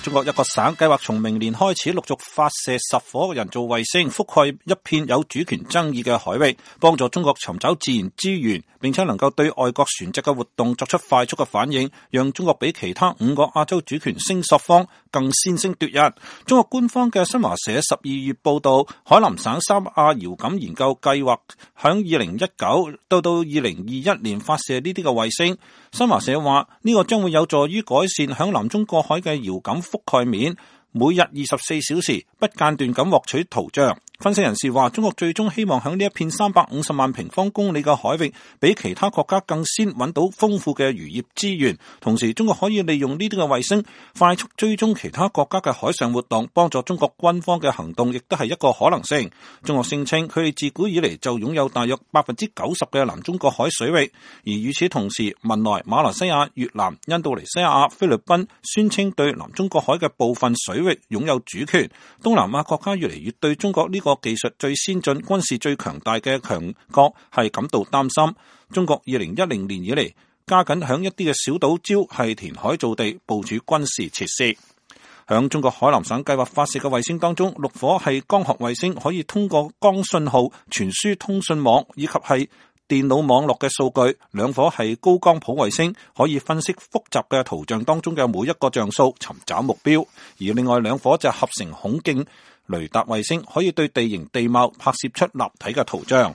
中國一個省計劃從明年開始陸續發射10顆人造衛星，覆蓋一片有主權爭議嘅海域，幫助中國尋找自然資源，並且能夠對外國船隻嘅活動作出快速嘅反應，讓中國比其他5個亞洲主權聲索方更先聲奪人。中國官方嘅新華社12月報道，海南省三亞遙感研究計劃響2019到2021年發射呢啲嘅衛星。新華社話呢個將會有助於改善響南中國海嘅遙感覆蓋面，每日24小時不間斷咁獲取圖像。分析人士話，中國最終希望喺呢一片350萬平方公里嘅海域，比其他國家更先揾到豐富嘅漁業資源。同時，中國可以利用呢啲嘅衛星快速追蹤其他國家嘅海上活動，幫助中國軍方嘅行動，亦都係一個可能性。中國聲稱佢哋自古以嚟就擁有大約90%嘅南中國海水域，而與此同時，文萊、馬來西亞、越南、印度尼西亞、菲律賓宣稱對南中國海嘅部分水域擁有主權。東南亞國家越嚟越對中國呢個技術最先進、軍事最強大嘅強國係感到擔心。中國2010年以嚟加緊響一啲嘅小島礁係填海造地，部署軍事設施。響中國海南省計劃發射嘅衛星當中，6顆係光學衛星，可以通過光信號傳輸通訊網以及係電腦網絡嘅數據；2顆係高光譜衛星，可以分析複雜嘅圖像當中嘅每一個像素，尋找目標；而另外2顆就合成孔徑雷達衛星，可以對地形地貌拍攝出立體嘅圖像。